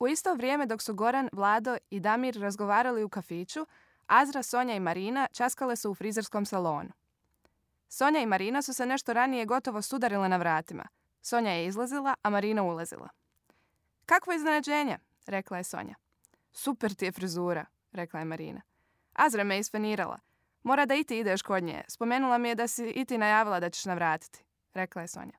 U isto vrijeme dok su Goran, Vlado i Damir razgovarali u kafiću, Azra, Sonja i Marina časkale su u frizerskom salonu. Sonja i Marina su se nešto ranije gotovo sudarile na vratima. Sonja je izlazila, a Marina ulazila. Kakvo iznenađenje, rekla je Sonja. Super ti je frizura, rekla je Marina. Azra me isfenirala. Mora da i ti ideš kod nje. Spomenula mi je da si i ti najavila da ćeš navratiti, rekla je Sonja.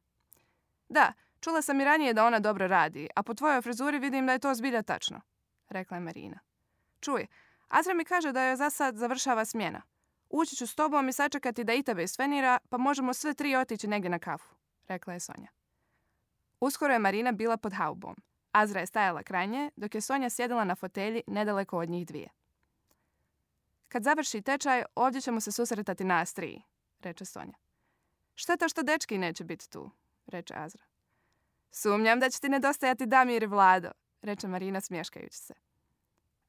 Da, čula sam i ranije da ona dobro radi, a po tvojoj frizuri vidim da je to zbilja tačno, rekla je Marina. Čuj, Azra mi kaže da joj za sad završava smjena. Ući ću s tobom i sačekati da i tebe isfenira, pa možemo sve tri otići negdje na kafu, rekla je Sonja. Uskoro je Marina bila pod haubom. Azra je stajala kraj nje, dok je Sonja sjedila na fotelji nedaleko od njih dvije. Kad završi tečaj, ovdje ćemo se susretati nas tri, reče Sonja. Šteta što dečki neće biti tu, reče Azra. Sumnjam da će ti nedostajati Damir i Vlado, reče Marina smješkajući se.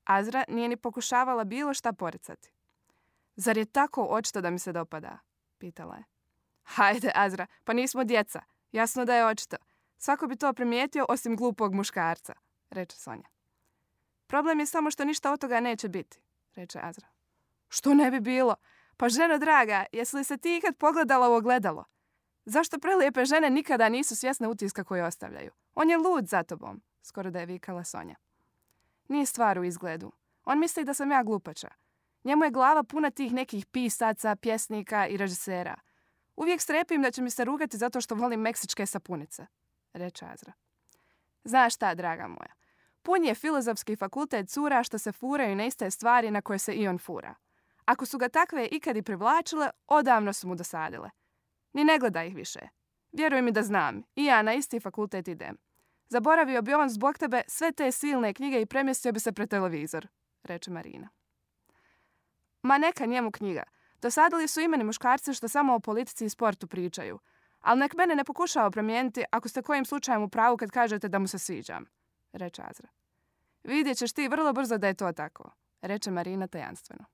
Azra nije ni pokušavala bilo šta poricati. Zar je tako očito da mi se dopada? Pitala je. Hajde, Azra, pa nismo djeca. Jasno da je očito. Svako bi to primijetio osim glupog muškarca, reče Sonja. Problem je samo što ništa od toga neće biti, reče Azra. Što ne bi bilo? Pa ženo draga, jesi li se ti ikad pogledala u ogledalo? Zašto prelijepe žene nikada nisu svjesne utiska koje ostavljaju? On je lud za tobom, skoro da je vikala Sonja. Nije stvar u izgledu. On misli da sam ja glupača. Njemu je glava puna tih nekih pisaca, pjesnika i režisera. Uvijek strepim da će mi se rugati zato što volim meksičke sapunice, reče Azra. Znaš šta, draga moja, pun je filozofski fakultet cura što se furaju na iste stvari na koje se i on fura. Ako su ga takve ikad i privlačile, odavno su mu dosadile. Ni ne gleda ih više. Vjeruj mi da znam, i ja na isti fakultet idem. Zaboravio bi on zbog tebe sve te silne knjige i premjestio bi se pred televizor, reče Marina. Ma neka njemu knjiga. Dosadili su imeni muškarci što samo o politici i sportu pričaju. Ali nek mene ne pokušava promijeniti ako ste kojim slučajem u pravu kad kažete da mu se sviđam, reče Azra. Vidjet ćeš ti vrlo brzo da je to tako, reče Marina tajanstveno.